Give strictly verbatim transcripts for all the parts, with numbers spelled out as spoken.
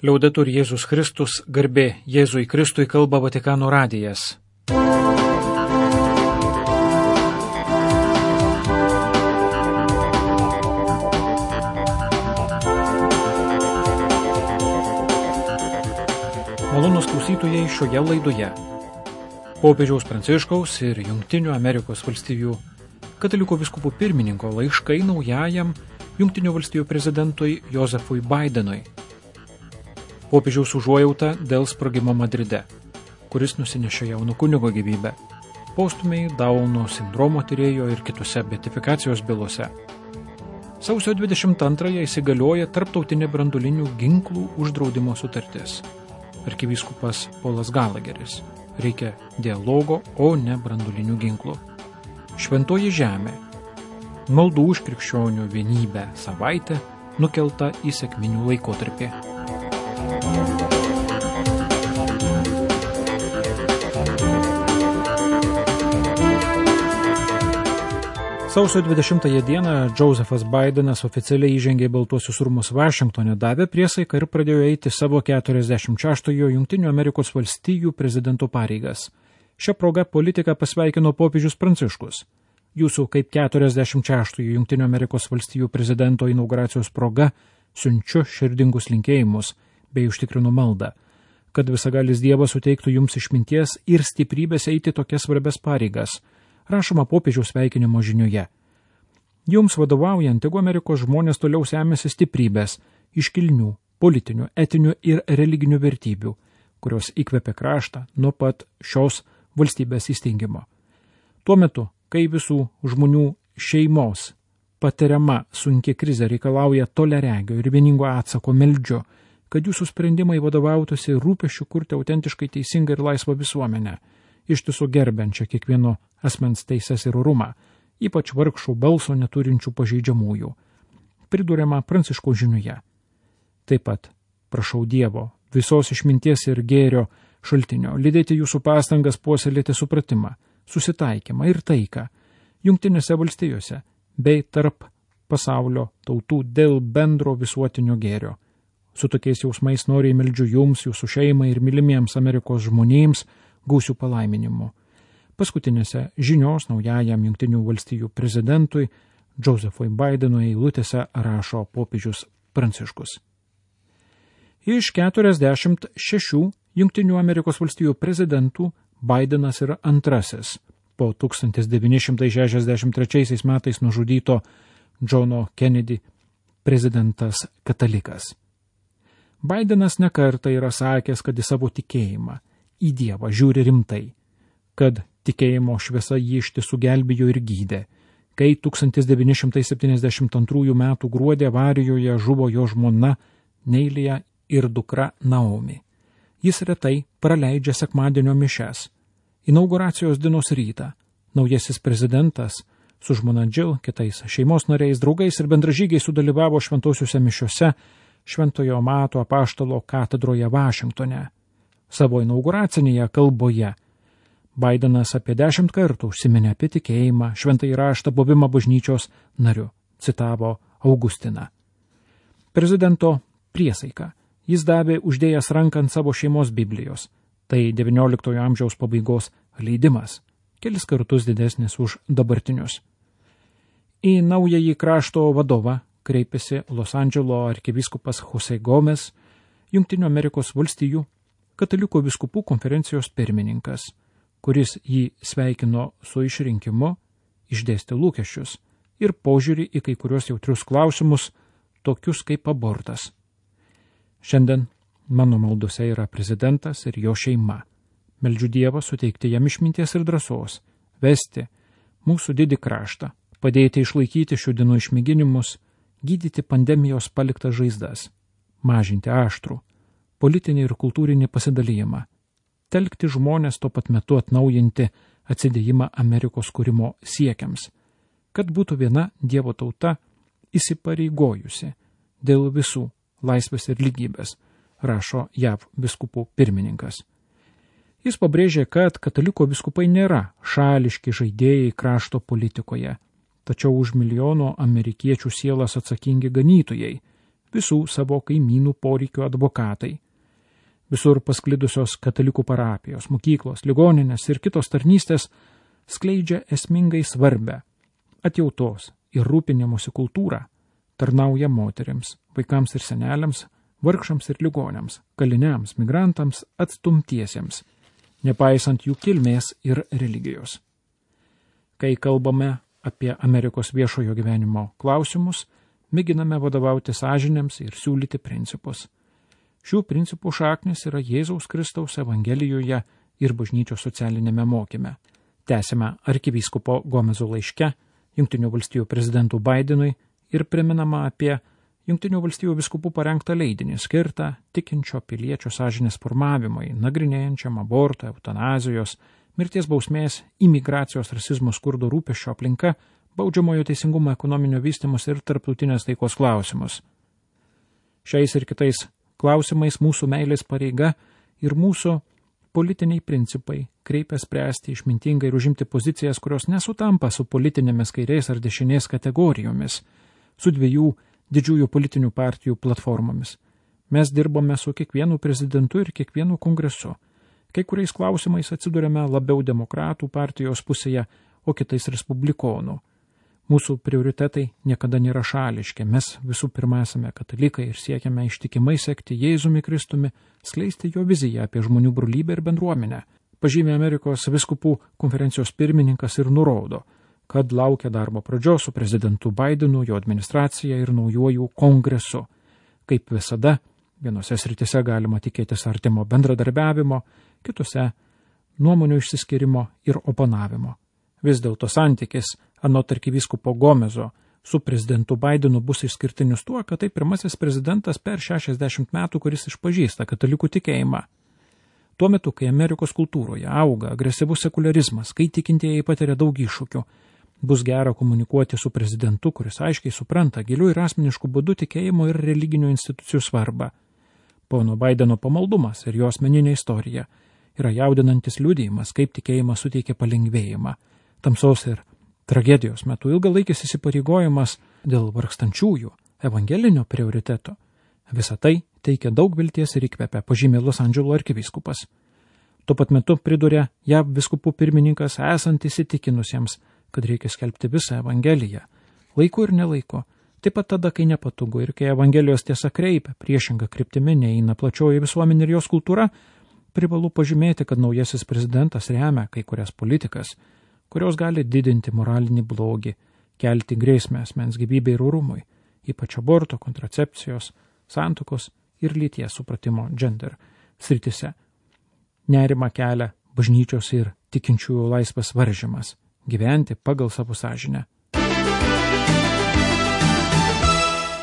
Liaudetur Jėzus Kristus, garbė Jėzui Kristui, kalba Vatikano radijas. Malonūs klausytojai šioje laidoje. Popiežiaus Pranciškaus ir Jungtinių Amerikos valstijų katalikų vyskupų pirmininko laiškai naujajam Jungtinių valstijų prezidentui Josefui Bidenui. Popiežiaus užuojauta dėl sprogimo Madride, kuris nusinešė jauno kunigo gyvybę, postūmiai Dauno sindromo tyrėjo ir kitose beatifikacijos bylose. Sausio dvidešimt antrąją įsigalioja tarptautinė branduolinių ginklų uždraudimo sutartis. Arkivyskupas Polas Galageris. Reikia dialogo, o ne branduolinių ginklų. Šventoji žemė. Maldų už krikščionių vienybę savaitė nukelta į sekminių laikotarpį. Sausio dvidešimtąją dieną Josefas Bidenas oficialiai įžengė į Baltuosius rūmus Vašingtone, davė priesaiką ir pradėjo eiti savo keturiasdešimt šeštojo Jungtinių Amerikos valstijų prezidento pareigas. Šią progą politiką pasveikino popiežius Pranciškus. Jūsų kaip keturiasdešimt šeštojo Jungtinių Amerikos valstijų prezidento inauguracijos proga siunčiu širdingus linkėjimus bei užtikrinu maldą, kad visagalis Dievas suteiktų jums išminties ir stiprybės eiti tokias svarbias pareigas, rašoma popiežiaus sveikinimo žinioje. Jums vadovaujant, tegu Amerikos žmonės toliau semėsi stiprybės, iškilnių, politinių, etinių ir religinių vertybių, kurios įkvepia kraštą nuo pat šios valstybės įsteigimo. Tuo metu, kai visų žmonių šeimos patiriama sunki krizė reikalauja toleregio ir vieningo atsako, meldžiu, kad jūsų sprendimai vadovautųsi rūpesčiu kurti autentiškai teisingą ir laisvą visuomenę, ištisų gerbiančią kiekvieno asmens teises ir orumą, ypač vargšų balso neturinčių pažeidžiamųjų, priduriama Pranciškaus žinioje. Taip pat prašau Dievo, visos išminties ir gėrio šaltinio, lydėti jūsų pastangas puoselėti supratimą, susitaikymą ir taiką Jungtinėse valstijose bei tarp pasaulio tautų dėl bendro visuotinio gėrio. Su tokiais jausmais noriai meldžiu jums, jūsų šeimai ir mylimiems Amerikos žmonėms gausių palaiminimų. Paskutinėse žinios naujajam Jungtinių valstijų prezidentui Josefui Bidenui eilutėse rašo popiežius Pranciškus. Iš keturiasdešimt šešių Jungtinių Amerikos valstijų prezidentų Bidenas yra antrasis po tūkstantis devyni šimtai šešiasdešimt trečiaisiais metais nužudyto Johno Kennedy prezidentas katalikas. Bidenas nekartą yra sakęs, kad į savo tikėjimą, į Dievą žiūri rimtai, kad tikėjimo šviesa jį ištisų gelbėjo ir gydė, kai tūkstantis devyni šimtai septyniasdešimt antrųjų metų gruodį avarijoje žuvo jo žmona Neilija ir dukra Naomi. Jis retai praleidžia sekmadienio mišias. Inauguracijos dienos rytą naujasis prezidentas su žmona Jill, kitais šeimos nariais, draugais ir bendražygiais sudalyvavo šventosiuose mišiose Šventojo Mato apaštalo katedroje Vašingtone. Savo inauguracinėje kalboje Bidenas apie dešimt kartų užsiminė apie tikėjimą, šventąjį raštą, buvimą bažnyčios nariu, citavo Augustiną. Prezidento priesaiką jis davė uždėjęs ranką ant savo šeimos Biblijos. Tai devynioliktojo amžiaus pabaigos leidimas, kelis kartus didesnis už dabartinius. Į naująjį krašto vadovą kreipėsi Los Andželo arkivyskupas Jose Gomes, Jungtinių Amerikos valstijų katalikų vyskupų konferencijos pirmininkas, kuris jį sveikino su išrinkimu, išdėstė lūkesčius ir požiūrį į kai kurios jautrius klausimus, tokius kaip abortas. Šiandien mano maldose yra prezidentas ir jo šeima. Meldžiu Dievą suteikti jam išminties ir drąsos, vesti mūsų didį kraštą, padėti išlaikyti šių dienų išmėginimus, gydyti pandemijos paliktas žaizdas, mažinti aštrų, politinį ir kultūrinį pasidalijimą, telkti žmonės tuo pat metu atnaujinti atsidėjimą Amerikos kūrimo siekiams, kad būtų viena Dievo tauta įsipareigojusi dėl visų laisvės ir lygybės, rašo J A V vyskupų pirmininkas. Jis pabrėžė, kad kataliko vyskupai nėra šališki žaidėjai krašto politikoje, tačiau už milijono amerikiečių sielas atsakingi ganytojai, visų savo kaimynų poreikių advokatai. Visur pasklidusios katalikų parapijos, mokyklos, ligoninės ir kitos tarnystės skleidžia esmingai svarbę atjautos ir rūpinimosi kultūrą, tarnauja moterims, vaikams ir seneliams, vargšams ir ligoniams, kaliniams, migrantams, atstumtiesiems, nepaisant jų kilmės ir religijos. Kai kalbame apie Amerikos viešojo gyvenimo klausimus, mėginame vadovauti sąžinėms ir siūlyti principus. Šių principų šaknis yra Jėzaus Kristaus Evangelijoje ir bažnyčios socialinėme mokyme. Tęsime arkivyskupo Gomezo laiške Jungtinių valstijų prezidentui Bidenui ir priminama apie Jungtinių valstijų vyskupų parengtą leidinį skirtą tikinčio piliečio sąžinės formavimui, nagrinėjančiam aborto, eutanazijos, mirties bausmės, imigracijos, rasizmo, skurdo, rūpesčio aplinka, baudžiamojo teisingumo, ekonominio vystymus ir tarptautinės taikos klausimus. Šiais ir kitais klausimais mūsų meilės pareiga ir mūsų politiniai principai kreipia spręsti išmintingai ir užimti pozicijas, kurios nesutampa su politinėmis kairės ar dešinės kategorijomis, su dviejų didžiųjų politinių partijų platformomis. Mes dirbame su kiekvienu prezidentu ir kiekvienu kongresu. Kai kuriais klausimais atsidurėme labiau demokratų partijos pusėje, o kitais respublikonų. Mūsų prioritetai niekada nėra šališki. Mes visų pirma esame katalikai ir siekiame ištikimai sekti Jėzumi Kristumi, skleisti jo viziją apie žmonių brolybę ir bendruomenę. Pažymė Amerikos vyskupų konferencijos pirmininkas ir nurodo, kad laukia darbo pradžios su prezidentu Bidenu, jo administracija ir naujuoju kongresu. Kaip visada, vienose sritise galima tikėtis artimo bendradarbiavimo, kitose nuomonių išsiskyrimo ir oponavimo. Vis dėlto santykis anot arkivyskupo Gomezo su prezidentu Bidenu bus išskirtinis tuo, kad tai pirmasis prezidentas per šešiasdešimt metų, kuris išpažįsta katalikų tikėjimą. Tuo metu, kai Amerikos kultūroje auga agresyvus sekularizmas, kai tikintieji patiria daug iššūkių, bus gera komunikuoti su prezidentu, kuris aiškiai supranta gilių ir asmeniškų būdų tikėjimo ir religinių institucijų svarbą. Pono Bideno pamaldumas ir jo asmeninė istorija yra jaudinantis liudijimas, kaip tikėjimas suteikia palengvėjimą. Tamsos ir tragedijos metu ilgalaikis įsipareigojimas dėl vargstančiųjų, evangelinio prioriteto. Visą tai teikia daug vilties ir įkvepia, pažymė Los Andželo arkivyskupas. Tuo pat metu priduria J A V vyskupų pirmininkas esant įsitikinusiems, kad reikia skelbti visą evangeliją, laiku ir nelaiku, taip pat tada, kai nepatogu ir kai evangelijos tiesa kreipia, priešinga kryptimi neina plačioji visuomenė ir jos kultūra, privalu pažymėti, kad naujasis prezidentas remia kai kurias politikas, kurios gali didinti moralinį blogį, kelti grėsmę asmens gyvybei ir orumui, ypač aborto, kontracepcijos, santuokos ir lyties supratimo gender sritise. Nerima kelia bažnyčios ir tikinčiųjų laisvės varžymas, gyventi pagal savo sąžinę.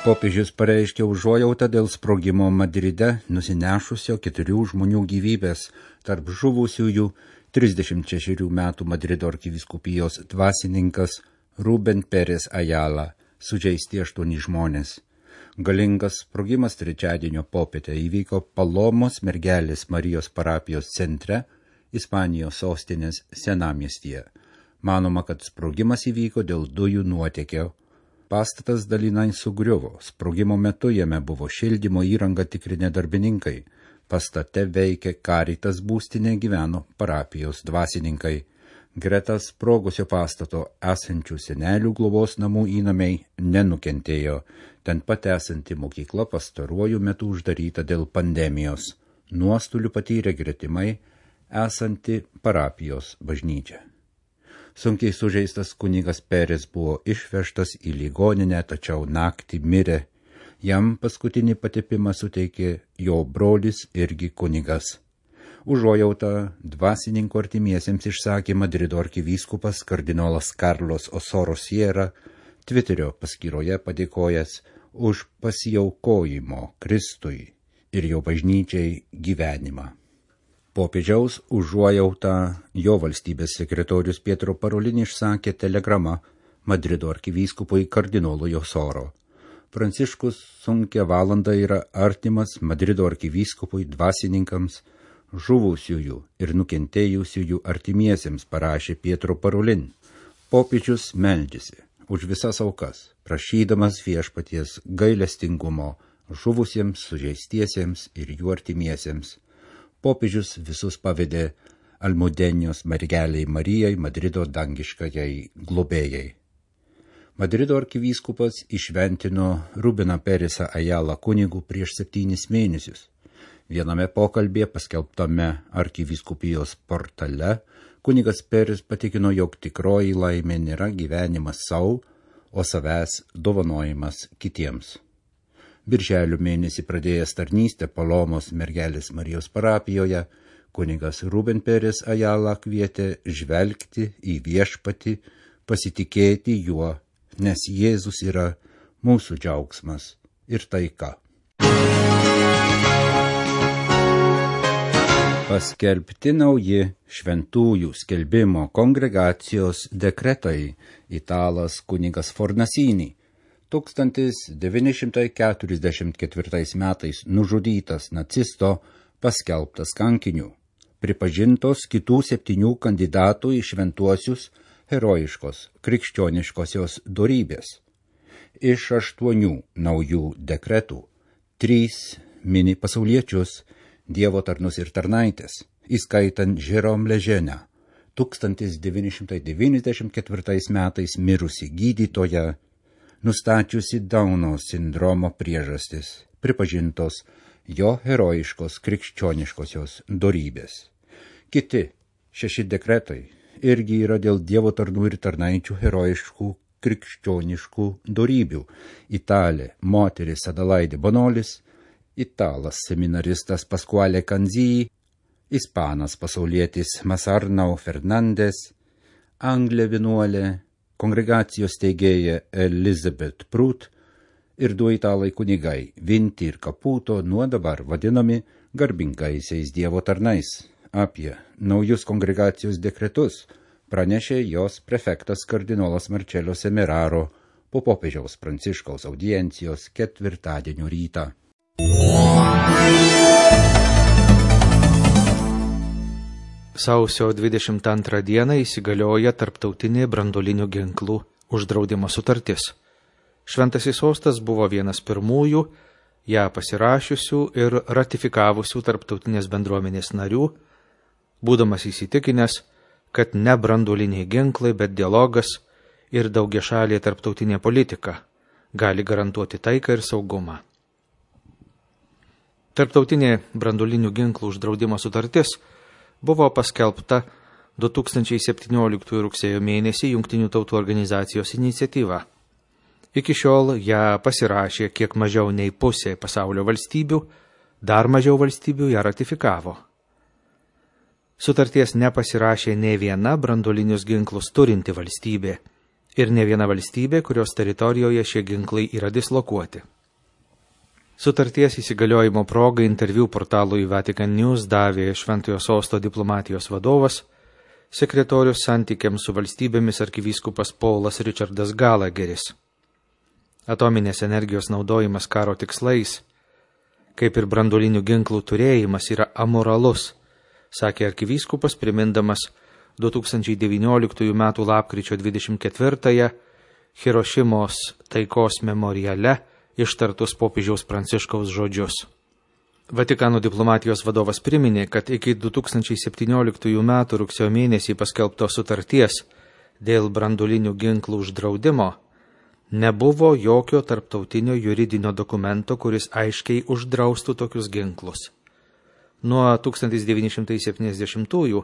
Popiežius pareiškė užuojautą dėl sprogimo Madride nusinešusio keturių žmonių gyvybės, tarp žuvusiųjų trisdešimt šešerių metų Madrido arkivyskupijos dvasininkas Ruben Pérez Ayala, sužeisti aštuoni žmonės. Galingas sprogimas trečiadienio popietę įvyko Palomos mergelės Marijos parapijos centre, Ispanijos sostinės senamiestyje. Manoma, kad sprogimas įvyko dėl dujų nuotėkio. Pastatas dalinai sugriuvo, sprogimo metu jame buvo šildymo įrangą tikrinę darbininkai. Pastate veikė Caritas būstinė, gyveno parapijos dvasininkai. Greta sprogusio pastato esančių senelių globos namų įnamiai nenukentėjo. Ten pat esanti mokykla pastaruoju metu uždaryta dėl pandemijos. Nuostolių patyrė gretimai esanti parapijos bažnyčia. Sunkiai sužeistas kunigas Pérez buvo išvežtas į ligoninę, tačiau naktį mirė. Jam paskutinį patepimą suteikė jo brolis irgi kunigas. Užuojautą dvasininkų artimiesiems išsakė Madrido arkivyskupas kardinolas Carlos Osoro Sierra, Twitterio paskyroje padėkojęs už pasiaukojimo Kristui ir jo bažnyčiai gyvenimą. Popiežiaus užuojautą jo valstybės sekretorius Pietro Parolin išsakė telegrama Madrido arkivyskupui kardinolui Osoro. Pranciškus sunkia valanda yra artimas Madrido arkivyskupui dvasininkams, žuvusiųjų ir nukentėjusiųjų artimiesiems, parašė Pietro Parolin. Popiežius meldžiasi už visas aukas, prašydamas viešpaties gailestingumo žuvusiems, sužeistiesiems ir jų artimiesiems. Popiežius visus pavedė Almudenijos mergeliai Marijai, Madrido dangiškajai globėjai. Madrido arkivyskupas išventino Rubeną Peresą Ajalą kunigu prieš septynis mėnesius. Viename pokalbėje paskelbtame arkivyskupijos portale kunigas Peres patikino, jog tikroji laimė nėra gyvenimas savo, o savęs dovanojimas kitiems. Birželio mėnesį pradėjęs tarnystę Palomos mergelės Marijos parapijoje, kunigas Ruben Peres Ajala kvietė žvelgti į viešpatį, pasitikėti juo, nes Jėzus yra mūsų džiaugsmas ir taika. Paskelbti nauji šventųjų skelbimo kongregacijos dekretai. Italas kunigas Fornasinį tūkstantis devyni šimtai keturiasdešimt ketvirtais metais nužudytas nacisto paskelbtas kankiniu. Pripažintos kitų septynių kandidatų į šventuosius herojiškos krikščioniškosios dorybės. Iš aštuonių naujų dekretų trys mini pasauliečius, Dievo tarnus ir tarnaitės, įskaitant Jérôme Lejeune, tūkstantis devyni šimtai devyniasdešimt ketvirtais metais mirusi gydytoja, nustačiusi Dauno sindromo priežastis, pripažintos jo herojiškos krikščioniškosios dorybės. Kiti šeši dekretai irgi yra dėl Dievo tarnų ir tarnaičių herojiškų krikščioniškų dorybių. Italė moteris Adelaide Bonolis, italas seminaristas Pasquale Canzii, ispanas pasaulietis Masarnau Fernandes, anglė vienuolė, kongregacijos steigėja Elizabeth Prut ir du italai kunigai Vinti ir Caputo nuo dabar vadinami garbingaisiais Dievo tarnais. Apie naujus kongregacijos dekretus pranešė jos prefektas kardinolas Marcello Semeraro po popiežiaus Pranciškaus audiencijos ketvirtadienio rytą. Sausio dvidešimt antrą dieną įsigalioja tarptautinė branduolinių ginklų uždraudimo sutartis. Šventasis sostas buvo vienas pirmųjų ją pasirašiusių ir ratifikavusių tarptautinės bendruomenės narių, būdamas įsitikinęs, kad ne branduoliniai ginklai, bet dialogas ir daugiašalė tarptautinė politika gali garantuoti taiką ir saugumą. Tarptautinė branduolinių ginklų uždraudimo sutartis buvo paskelbta du tūkstančiai septynioliktųjų rugsėjo mėnesį Jungtinių tautų organizacijos iniciatyva. Iki šiol ją pasirašė kiek mažiau nei pusė pasaulio valstybių, dar mažiau valstybių ją ratifikavo. Sutarties nepasirašė ne viena branduolinius ginklus turinti valstybė ir ne viena valstybė, kurios teritorijoje šie ginklai yra dislokuoti. Sutarties įsigaliojimo progai interviu portalui Vatican News davė Šventojo sosto diplomatijos vadovas, sekretorius santykiams su valstybėmis arkivyskupas Paulas Richardas Gallagheris. Atominės energijos naudojimas karo tikslais, kaip ir branduolinių ginklų turėjimas, yra amoralus, sakė arkivyskupas, primindamas du tūkstančiai devynioliktųjų metų lapkričio dvidešimt ketvirtąją Hirošimos taikos memoriale ištartus popiežiaus Pranciškaus žodžius. Vatikano diplomatijos vadovas priminė, kad iki du tūkstančiai septynioliktųjų metų rugsėjo mėnesį paskelbtos sutarties dėl branduolinių ginklų uždraudimo nebuvo jokio tarptautinio juridinio dokumento, kuris aiškiai uždraustų tokius ginklus. Nuo tūkstantis devyni šimtai septyniasdešimtųjų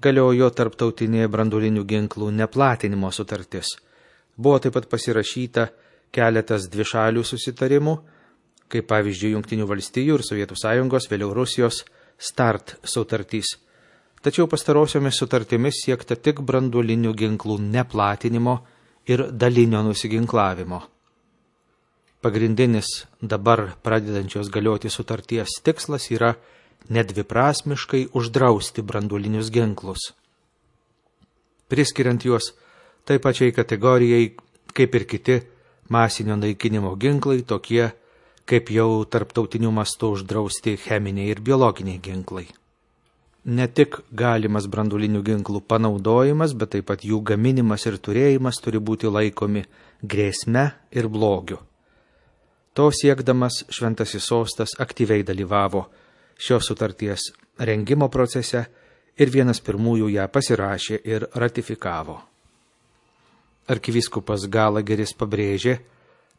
galiojo tarptautinė branduolinių ginklų neplatinimo sutartis. Buvo taip pat pasirašyta keletas dvišalių susitarimų, kaip pavyzdžiui Jungtinių valstijų ir Sovietų sąjungos, vėliau Rusijos START sutartys. Tačiau pastarosiomis sutartimis siekta tik branduolinių ginklų neplatinimo ir dalinio nusiginklavimo. Pagrindinis dabar pradedančios galioti sutarties tikslas yra nedviprasmiškai uždrausti branduolinius ginklus, priskiriant juos tai pačiai kategorijai, kaip ir kiti masinio naikinimo ginklai, tokie kaip jau tarptautiniu mastu uždrausti cheminiai ir biologiniai ginklai. Ne tik galimas branduolinių ginklų panaudojimas, bet taip pat jų gaminimas ir turėjimas turi būti laikomi grėsme ir blogiu. To siekdamas Šventasis sostas aktyviai dalyvavo šios sutarties rengimo procese ir vienas pirmųjų ją pasirašė ir ratifikavo. Arkivyskupas Galageris pabrėžė,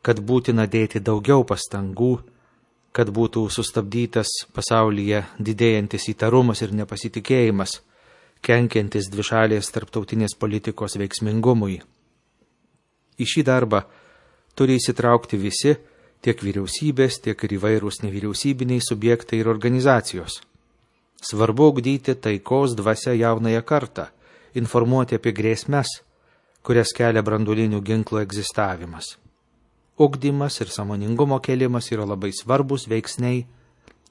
kad būtina dėti daugiau pastangų, kad būtų sustabdytas pasaulyje didėjantis įtarumas ir nepasitikėjimas, kenkiantis dvišalės tarptautinės politikos veiksmingumui. Į šį darbą turi įsitraukti visi, tiek vyriausybės, tiek ir įvairūs nevyriausybiniai subjektai ir organizacijos. Svarbu ugdyti taikos dvasia jaunąją kartą, informuoti apie grėsmes, kurias kelia branduolinių ginklų egzistavimas. Ugdymas ir sąmoningumo kėlimas yra labai svarbus veiksniai,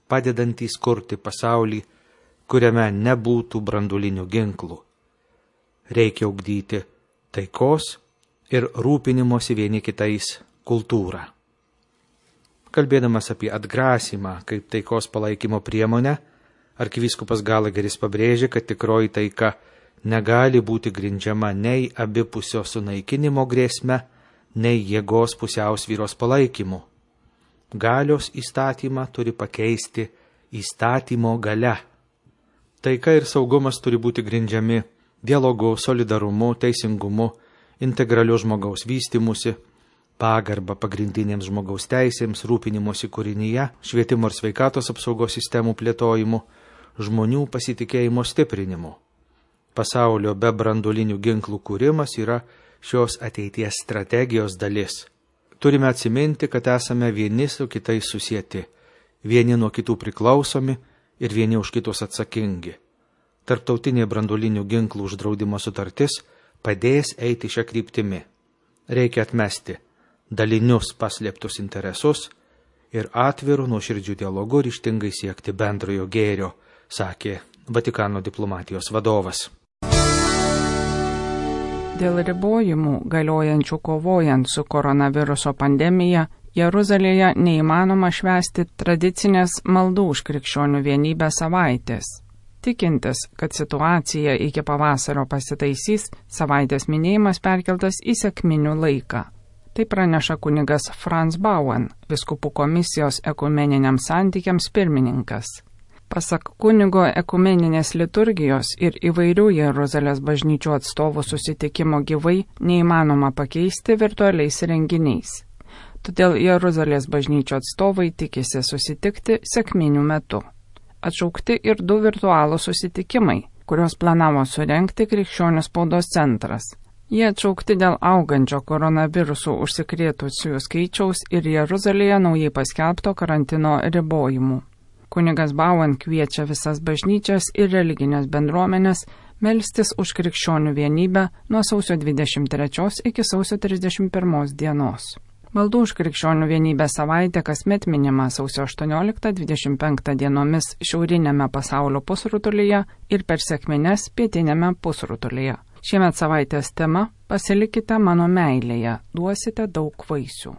padedantys kurti pasaulį, kuriame nebūtų branduolinių ginklų. Reikia ugdyti taikos ir rūpinimosi vieni kitais kultūrą. Kalbėdamas apie atgrasymą kaip taikos palaikymo priemonę, arkivyskupas Galageris pabrėžė, kad tikroji taika negali būti grindžiama nei abipusio sunaikinimo grėsme, nei jėgos pusiausvyros palaikymu. Galios įstatymą turi pakeisti įstatymo galia. Taika ir saugumas turi būti grindžiami dialogu, solidarumu, teisingumu, integraliu žmogaus vystimusi, pagarba pagrindinėms žmogaus teisėms, rūpinimosi kūrinyje, švietimo ir sveikatos apsaugos sistemų plėtojimu, žmonių pasitikėjimo stiprinimu. Pasaulio be branduolinių ginklų kūrimas yra šios ateities strategijos dalis. Turime atsiminti, kad esame vieni su kitais susieti, vieni nuo kitų priklausomi ir vieni už kitus atsakingi. Tarptautinė branduolinių ginklų uždraudimo sutartis padės eiti šią kryptimį. Reikia atmesti dalinius paslėptus interesus ir atvirų nuoširdžių dialogų ryžtingai siekti bendrojo gėrio, sakė Vatikano diplomatijos vadovas. Dėl ribojimų galiojančių kovojant su koronaviruso pandemija, Jeruzalėje neįmanoma švęsti tradicinės maldų už krikščionių vienybę savaitės. Tikintis, kad situacija iki pavasario pasitaisys, savaitės minėjimas perkeltas į sekminių laiką. Tai praneša kunigas Franz Bauern, vyskupų komisijos ekumeniniams santykiams pirmininkas. Pasak kunigo, ekumeninės liturgijos ir įvairių Jeruzalės bažnyčių atstovų susitikimo gyvai neįmanoma pakeisti virtualiais renginiais. Todėl Jeruzalės bažnyčių atstovai tikisi susitikti sekminių metu. Atšaukti ir du virtualūs susitikimai, kuriuos planavo surengti Krikščionių spaudos centras. Jie atšaukti dėl augančio koronavirusų užsikrėtusiųjų skaičiaus ir Jeruzalėje naujai paskelbto karantino ribojimų. Kunigas Bauern kviečia visas bažnyčias ir religinės bendruomenės melstis už krikščionių vienybę nuo sausio dvidešimt trečios iki sausio trisdešimt pirmos dienos. Maldų už krikščionių vienybę savaitė kasmet minima sausio aštuonioliktą dvidešimt penktą dienomis šiaurinėme pasaulio pusrutulyje ir per sekmines pietinėme pusrutulyje. Šiemet savaitės tema – Pasilikite mano meilėje, duosite daug vaisių.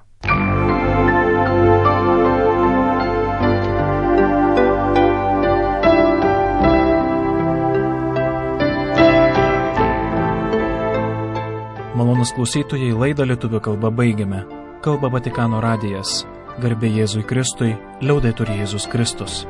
Malonus klausytojai, laidą lietuvių kalba baigiame. Kalba Vatikano radijas. Garbė Jėzui Kristui, liaudetur Jėzus Kristus.